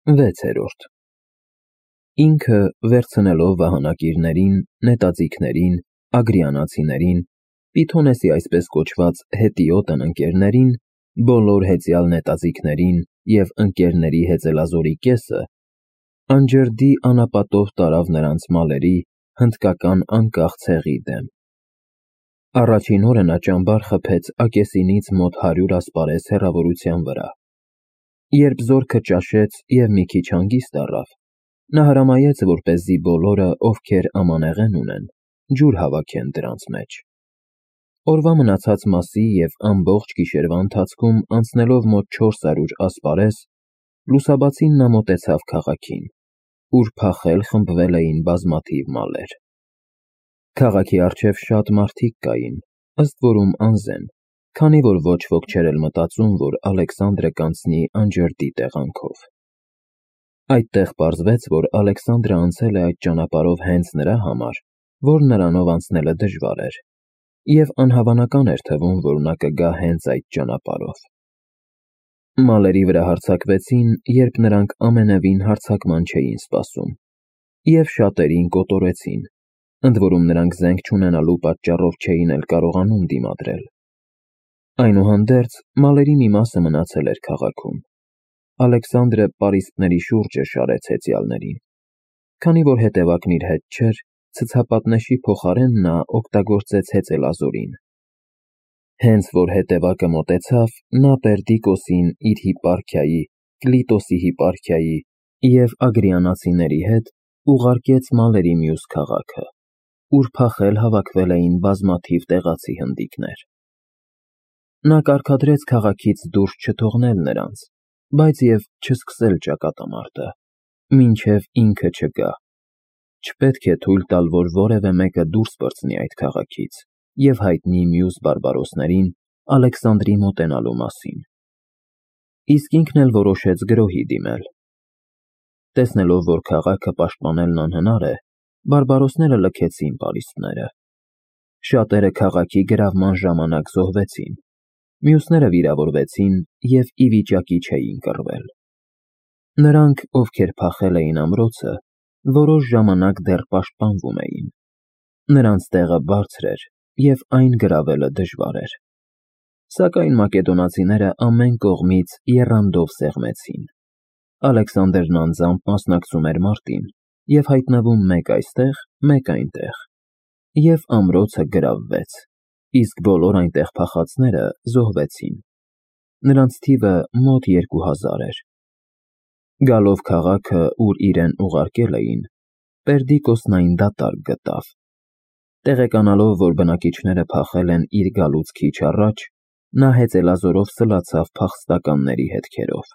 6-րդ Ինքը վերցնելով վահանակիրներին, նետաձիգներին, ագրիանացիներին, Պիթոնեսի այսպես կոչված հետիոտն ընկերներին, բոլոր հեծյալ նետաձիգներին և ընկերների հեծելազորի կեսը, անջրդի անապատով տարավ նրանց մալերի հնդկական անկախ ցեղի դեմ։ Առաջին օրը նա ճամբար խփեց Ակեսինից մոտ 100 ասպարեզ հեռավորության վրա։ Երբ զորքը ճաշեց և մի քիչ հանգիստ առավ, նա հրամայեց, որպեսզի բոլորը, ովքեր ամանեղեն ունեն, ջուր հավաքեն դրանց մեջ։ Օրվա մնացած մասի և ամբողջ գիշերվա ընթացքում անցնելով մոտ 400 ասպարեզ, լուսաբացին նա մոտեցավ քաղաքին, ուր փախել խմբվել էին բազմաթիվ մալեր։ Քաղաքի առջև շատ մարդիկ կային, ըստ որում անզեն, քանի որ ոչ ոք չէր էլ մտածում, որ Ալեքսանդրը կանցնի անջրդի տեղանքով։ Այդտեղ պարզվեց, որ Ալեքսանդրը անցել է այդ ճանապարհով հենց նրա համար, որ նրանով անցնելը դժվար էր, և անհավանական էր թվում, որ նա կգա հենց այդ ճանապարհով։ Մալերի վրա հարձակվեցին, երբ նրանք ամենևին հարձակման չէին սպասում, և շատերին կոտորեցին, ընդ որում նրանք զենք չունենալու պատճառով չէին էլ կարողանում դիմադրել։ Այնուհանդերձ, մալերի մի մասը մնացել էր քաղաքում։ Ալեքսանդրը պարիսպների շուրջը շարեց հեծյալներին։ Քանի որ հետևակն իր հետ չէր, ցցապատնեշի փոխարեն նա օգտագործեց հեծելազորին։ Հենց որ հետևակը մոտեցավ, նա Պերդիկոսին իր հիպարխիայի, Կլիտոսի հիպարխիայի և ագրիանացիների հետ ուղարկեց մալերի մյուս քաղաքը, ուր փախել հավաքվել էին բազմաթիվ տեղացի հնդիկներ։ Նա կարգադրեց քաղաքից դուրս չթողնել նրանց, բայց և չսկսել ճակատամարտը, մինչև ինքը չգա։ Չպետք է թույլ տալ, որ որևէ մեկը դուրս պրծնի այդ քաղաքից և հայտնի մյուս բարբարոսներին Ալեքսանդրի մոտենալու մասին։ Իսկ ինքն էլ որոշեց գրոհի դիմել։ Տեսնելով, որ քաղաքը պաշտպանելն անհնար է, բարբարոսները լքեցին պարիսպները։ Շատերը քաղաքի գրավման ժամանակ զոհվեցին, մյուսները վիրավորվեցին և ի վիճակի չէին կռվել։ Նրանք, ովքեր փախել էին ամրոցը, որոշ ժամանակ դեռ պաշտպանվում էին։ Նրանց տեղը բարձր էր, և այն գրավելը դժվար էր։ Սակայն մակեդոնացիները ամեն կողմից եռանդով սեղմեցին։ Ալեքսանդրն անձամբ մասնակցում էր մարտին և հայտնվում մեկ այստեղ, մեկ այնտեղ, և ամրոցը գրավվեց, իսկ բոլոր այնտեղ փախածները զոհվեցին։ Նրանց թիվը մոտ 2000 էր։ Գալով քաղաքը, ուր իրեն ուղարկել էին, Պերդիկոսն այն դատարկ գտավ։ Տեղեկանալով, որ բնակիչները փախել են իր գալուց քիչ առաջ, նա հեծելազորով սլացավ փախստականների հետքերով։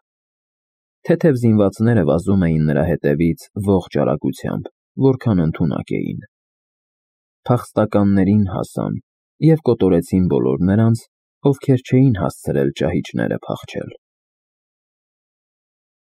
Թեթև զինվածները վազում էին նրա հետևից ողջ արագությամբ, որքան ընդունակ էին։ Փախստականներին հասան և կոտորեցին բոլոր նրանց, ովքեր չէին հասցրել ճահիճները փախչել։